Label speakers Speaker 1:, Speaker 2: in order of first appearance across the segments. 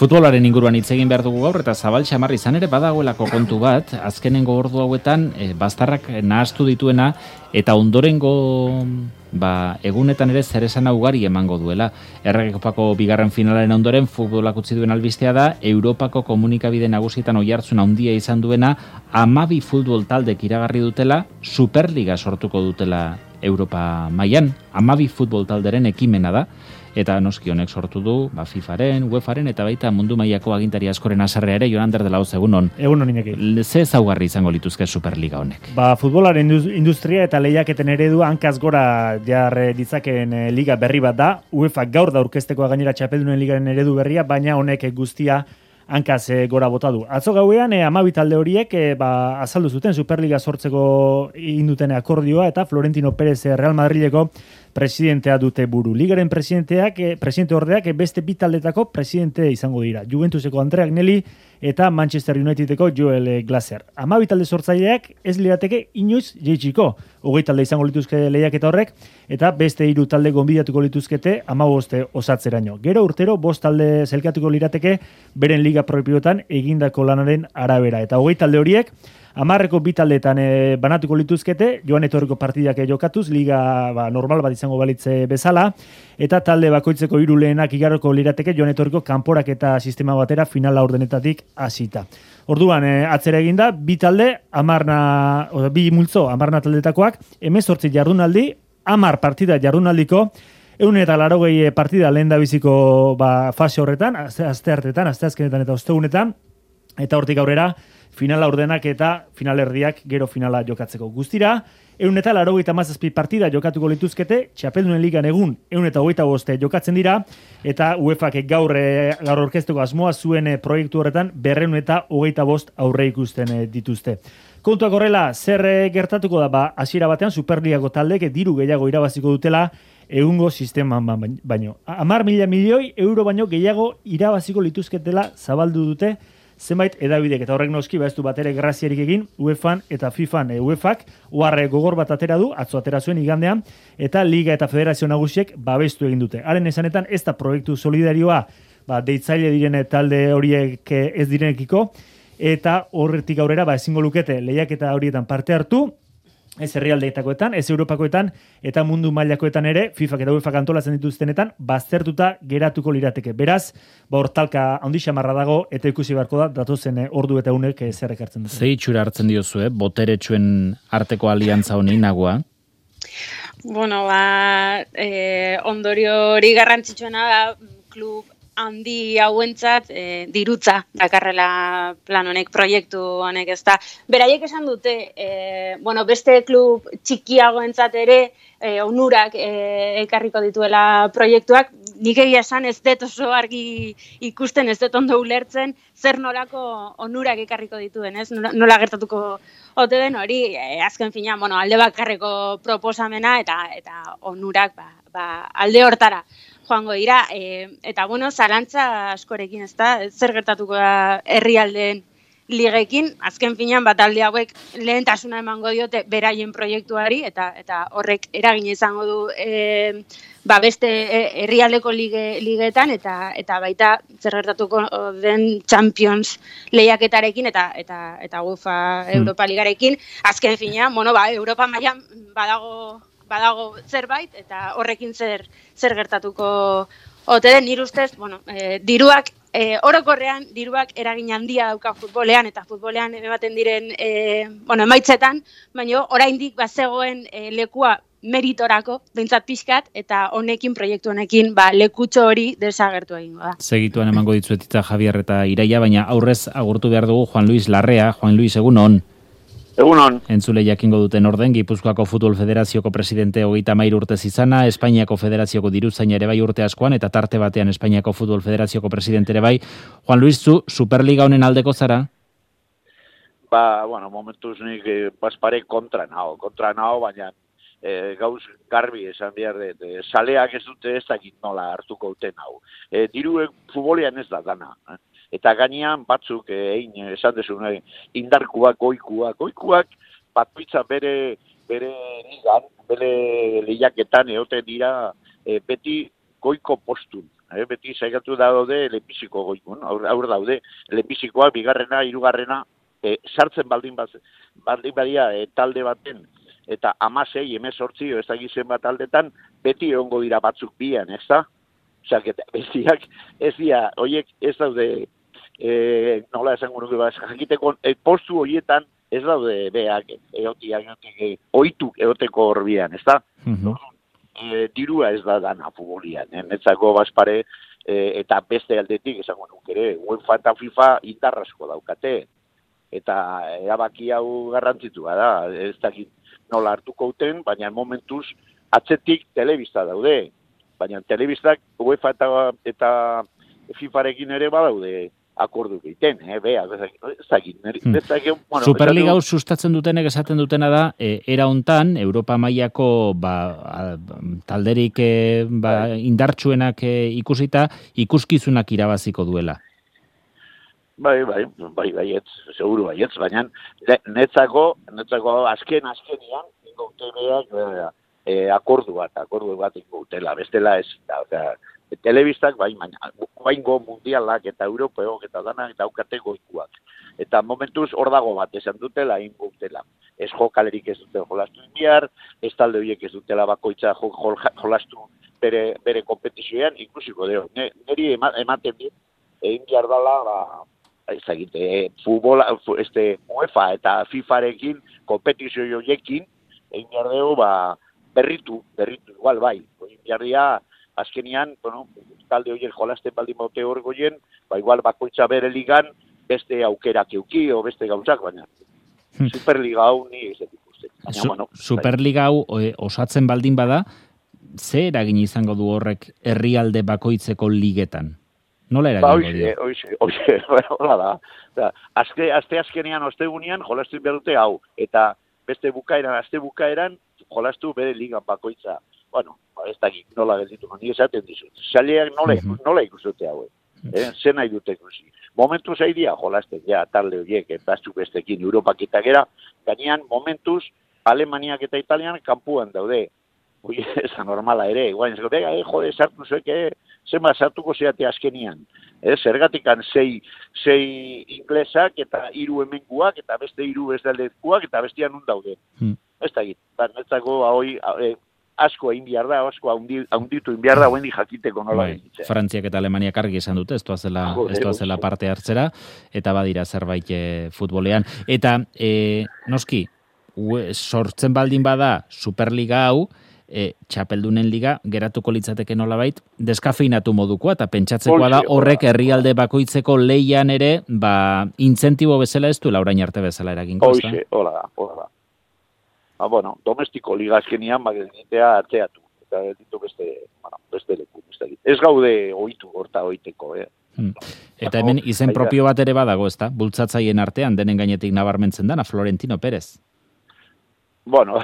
Speaker 1: Futbolaren inguruan hitz egin behar dugu gaur eta zabal xamar izan ere badagoelako kontu bat, azkenengo ordu hauetan bastarrak nahastu dituena eta ondorengo egunetan ere zeresana ugari emango duela. Erregekopako bigarren finalaren ondoren futbolak utzi duen albistea da, Europako komunikabide nagusietan oihartzun handia izan duena, 12 futbol taldek iragarri dutela, Superliga sortuko dutela Europa mailan, 12 futbol talderen ekimena da. Eta noski honek sortu du, FIFaren, UEFaren eta baita mundu mailako agintari askoren haserrea ere. Jonander de la Hoz, egunon.
Speaker 2: Egunon Iñaki.
Speaker 1: Ze ezaugarri izango lituzke Superliga honek?
Speaker 2: Futbolaren industria eta lehiaketen eredua hankaz gora jar ditzakeen liga berri bat da. UEFA gaur da aurkezteko gainera txapeldunen ligaren eredu berria, baina honek guztia hankaz gora bota du. Atzo gauean 12 talde horiek azaldu zuten Superliga sortzeko induten akordioa eta Florentino Pérez Real Madrileko presidentea dute buru. Ligaren presidente ordeak beste bi taldetako presidente izango dira. Juventuseko Andrea Agnelli eta Manchester Unitedeko Joel Glazer. 12 talde sortzaileak ez lirateke inoiz jeitsiko. 20 talde izango lituzke lehiaketa horrek eta beste 3 talde gonbidatuko lituzkete 15 osatzeraino. Gero urtero 5 talde zelkatuko lirateke beren liga propioetan egindako lanaren arabera. Eta 20 talde horiek 10 bi taldeetan banatuko lituzkete, joan etorriko partidak jokatuz, liga normal bat izango balitze bezala, eta talde bakoitzeko 3 lehenak igaroko lirateke joan etorriko kanporak eta sistema batera finala ordenetatik hasita. Orduan, atzera eginda, bi talde, 2 multzo, 10 taldetakoak, 18 jardunaldi, 10 partida jardunaldiko, 180 partida lehen da biziko fase horretan, asteazkenetan eta ostegunetan, eta hortik aurrera, finala ordenak eta finalerdiak gero finala jokatzeko. Guztira, 187 partida jokatuko lituzkete, txapeldunen ligan egun 125 jokatzen dira, eta UEFak gaur orkesteko asmoa zuen proiektu horretan 225 aurre ikusten dituzte. Kontuak horrela, zer gertatuko da, hasiera batean Superligako taldek diru gehiago irabaziko dutela egungo sisteman baino. 10.000 milioi euro baino gehiago irabaziko lituzketela zabaldu dute zenbait edabidek, eta horrek noski ez du batere graziarik egin UEFan eta FIFan. UEFak gogor bat atera du, atzo atera zuen igandean, eta Liga eta Federazio Nagusiek babestu egin dute. Haren esanetan, ez da proiektu solidarioa deitzaile diren talde horiek ez direnekiko, eta horretik aurrera ezingo lukete lehiaketa horietan parte hartu, ez herrialdeetakoetan, ez Europakoetan, eta mundu mailakoetan ere, FIFak eta UEFak antolatzen dituztenetan, baztertuta geratuko lirateke. Beraz, hortalka handi xamarra dago, eta ikusi beharko da, datozen ordu eta unek zer ekartzen dute.
Speaker 1: Ze itxura hartzen diozue, boteretsuen arteko aliantza honi nagua?
Speaker 3: Bueno, ondorio hori garrantzitsuena da, klub handi hauentzat dirutza dakarrela plan honek, proiektu honek, ez da. Beraiek esan dute, beste klub txikiagoentzat ere onurak ekarriko dituela proiektuak. Nik egia esan ez dut oso argi ikusten, ez dut ondo ulertzen, zer nolako onurak ekarriko dituen, ez? Nola gertatuko ote den hori, azken fina, alde bakarreko proposamena eta onurak alde hortara joango dira, eta zalantza askorekin, ez da, zer gertatuko da herrialdeen ligekin, azken finean talde hauek lehentasuna emango diote beraien proiektuari, eta horrek eragin izango du beste herrialdeko ligeetan, eta baita zer gertatuko den Champions lehiaketarekin, eta UEFA Europa Ligarekin, azken finean, Europa mailan badago zerbait, eta horrekin zer gertatuko ote den. Nire ustez, diruak, orokorrean, diruak eragin handia dauka futbolean, eta futbolean ematen diren emaitzetan, baina oraindik bazegoen lekua meritorako, behintzat pixkat, eta proiektu honekin, lekutxo hori desagertu egingo da.
Speaker 1: Segituan emango ditzuetita Javier eta Iraia, baina aurrez agurtu behar dugu Juan Luis Larrea. Juan Luis, egunon.
Speaker 4: Egunon.
Speaker 1: Entzule jakingo duten orden, Gipuzkoako Futbol Federazioko presidente 33 urtez izana, Espainiako Federazioko diruzaina ere bai urte askoan, eta tarte batean Espainiako Futbol Federazioko presidente ere bai. Juan Luis, zu Superliga honen aldeko zara?
Speaker 4: Momentuz nik pare kontra nao, baina gauz garbi esan behar dut, saleak ez dute ez dakit nola hartuko duten hau. Diruek futbolean ez da dana. Eta gainean batzuk, esan desu, indarkuak, goikuak, batuitza bere ligan, bere lehiaketan eote dira beti goiko postun. beti saikatu daude lehenbiziko goikun, aur daude, lehenbizikoa, bigarrena, hirugarrena, sartzen baldin badia talde baten, eta 16, 18, ez da gizen bat aldetan, beti egongo dira batzuk bian, ez da? Osak, bestiak, ez dira, horiek ez daude, nola esango nuke, jakiteko postu horietan, ez daude beak, oituk egoteko horbian, ez da? Dirua ez da dana futbolian, netzako bazpare, eta beste aldetik, esango nuke ere, UEFA eta FIFA indarrasko daukate, eta erabaki hau garrantzitua da, ez dakit nola hartuko uten, baina momentuz atzetik telebista daude, baina telebistak UEFA eta FIFarekin ere badaude akordu egiten, ez dakit.
Speaker 1: Superliga hau sustatzen dutenek esaten dutena da, era hontan, Europa mailako talderik indartsuenak ikusita, ikuskizunak irabaziko duela.
Speaker 4: Bai, seguru baietz, baina netzako azkenian, ingotebeak akordu bat ingotela, bestela ez, telebistak, baingo mundialak eta europeok eta danak eta aukate goikuak. Eta momentuz hor dago bat esan dutela, ingotela. Ez jokalerik ez dute jolastu inbiar, ez talde horiek ez dutela bakoitza jolastu bere kompetizioan, inklusiko deo. Neri ematen dit, egin behar dela, futbola, UEFA eta FIFarekin, kompetizio joiekin, egin behar dugu, berritu, igual bai. Egin behar dira, azkenian, talde horiek jolasten baldin baute hor goien, igual bakoitza bere ligan, beste aukerak euki, o beste gauzak, baina Superliga hau ni ez ikusten.
Speaker 1: Superliga hau osatzen baldin bada, ze eragin izango du horrek herrialde bakoitzeko ligetan? Nola eragingo dio?
Speaker 4: Oixe, hola da. Aste azkenean, ostegunean, jolastu behar dute hau. Eta beste aste bukaeran, jolastu bere ligan bakoitza. Bueno, ez dakit, nola gelditu, ni esaten dizut. Saleak nola ikusute hau. Zen nahi dute ikusi. Momentuz haidia jolasten, talde horiek, eta aztu bestekin, Europak eta gera, gainean, momentuz, Alemaniak eta Italian kanpuan daude. Ez normala ere, guain, jode, sartu zuek, zema sartuko zeate azkenian. Zergatikan sei inglesak eta 3 hemenguak eta beste 3 bezaldekuak eta bestian nun daude. Ez da git, netzako hoi asko egin behar da, asko haunditu egin behar da, hoen jakiteko nola egin.
Speaker 1: Frantziak eta Alemaniak argi esan dute, ez doazela parte hartzera, eta badira zerbait futbolean. Eta, noski, sortzen baldin bada Superliga hau, txapeldunen liga geratuko litzateke nolabait deskafeinatu modukoa eta pentsatzekoa da horrek herrialde bakoitzeko leian ere intzentibo bezala ez duela orain arte bezala eragingo.
Speaker 4: Hola da. Bueno, domestiko liga azkenian egitea atzeatu eta ditu beste leku. Ez gaude ohitu horta oiteko.
Speaker 1: Eta hemen izen propio bat ere badago, ezta? Bultzatzaien artean denen gainetik nabarmentzen dana Florentino Pérez.
Speaker 4: Bueno,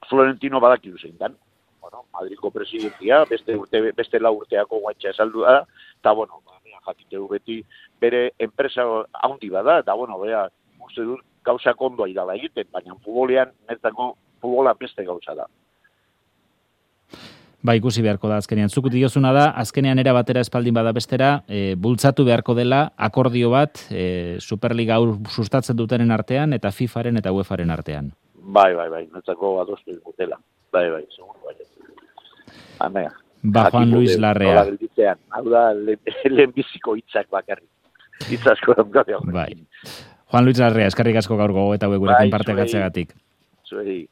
Speaker 4: Florentino badakidu zein dan. Madriko presidentia, beste 4 urteako guantxa esaldu da, eta, jakiteu beti bere enpresa haundi bada, eta, uste dut gauzak ondo aidala egiten, baina netzako futbola beste gauza da.
Speaker 1: Ikusi beharko da azkenean. Zuk diozuna da, azkenean era batera espaldin bada bestera, bultzatu beharko dela akordio bat Superliga hau sustatzen dutenen artean eta FIFaren eta UEFaren artean.
Speaker 4: Bai, netzako adostu dutela. Bai, seguro bai. Amea.
Speaker 1: Juan Luis Larrea.
Speaker 4: Hau da, lehenbiziko hitzak bakarrik. Hitzasko daukate.
Speaker 1: Bai. Juan Luis Larrea, eskerrik asko gaur gogo eta gurekin parte gatzeagatik.
Speaker 4: Zuei.